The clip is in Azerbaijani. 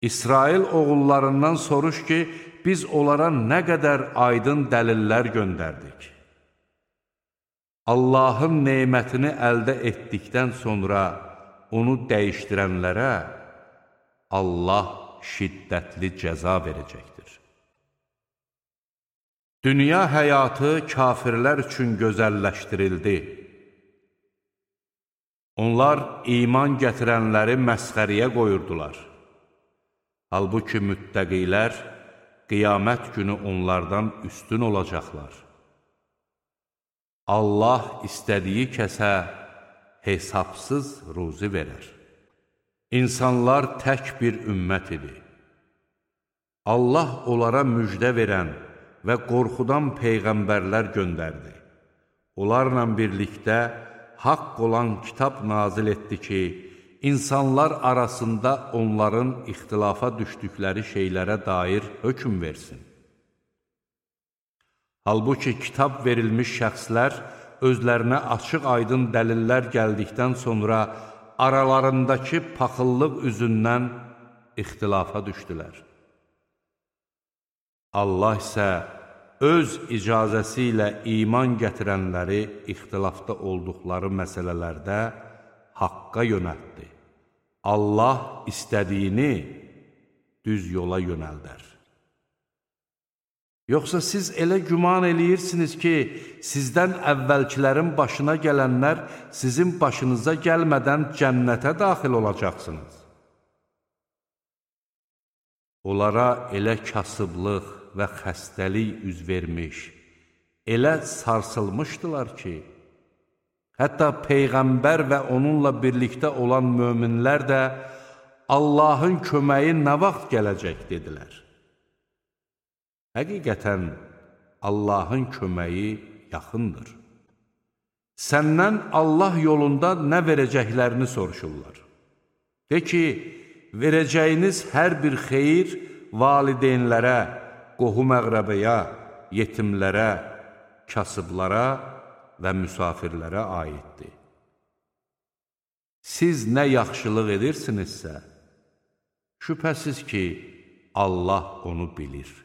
İsrail oğullarından soruş ki, biz onlara nə qədər aydın dəlillər göndərdik. Allahın neymətini əldə etdikdən sonra onu dəyişdirənlərə Allah şiddətli cəza verəcəkdir. Dünya həyatı kafirlər üçün gözəlləşdirildi. Onlar iman gətirənləri məsxəriyə qoyurdular. Halbuki müttəqilər qiyamət günü onlardan üstün olacaqlar. Allah istədiyi kəsə hesabsız ruzi verər. İnsanlar tək bir ümmət idi. Allah onlara müjdə verən və qorxudan peyğəmbərlər göndərdi. Onlarla birlikdə haqq olan kitab nazil etdi ki, insanlar arasında onların ixtilafa düşdükləri şeylərə dair hökm versin. Halbuki kitab verilmiş şəxslər özlərinə açıq-aydın dəlillər gəldikdən sonra aralarındakı paxıllıq üzündən ixtilafa düşdülər. Allah isə öz icazəsi ilə iman gətirənləri ixtilafda olduqları məsələlərdə haqqa yönəltdi. Allah istədiyini düz yola yönəldər. Yoxsa siz elə güman eləyirsiniz ki, sizdən əvvəlkilərin başına gələnlər sizin başınıza gəlmədən cənnətə daxil olacaqsınız. Onlara elə kasıblıq və xəstəlik üz vermiş, elə sarsılmışdılar ki, hətta Peyğəmbər və onunla birlikdə olan möminlər də Allahın köməyi nə vaxt gələcək dedilər. Həqiqətən, Allahın köməyi yaxındır. Səndən Allah yolunda nə verəcəklərini soruşurlar. De ki, verəcəyiniz hər bir xeyir valideynlərə, qohum-əqrəbəyə, yetimlərə, kasıblara və müsafirlərə aiddir. Siz nə yaxşılıq edirsinizsə, şübhəsiz ki, Allah onu bilir.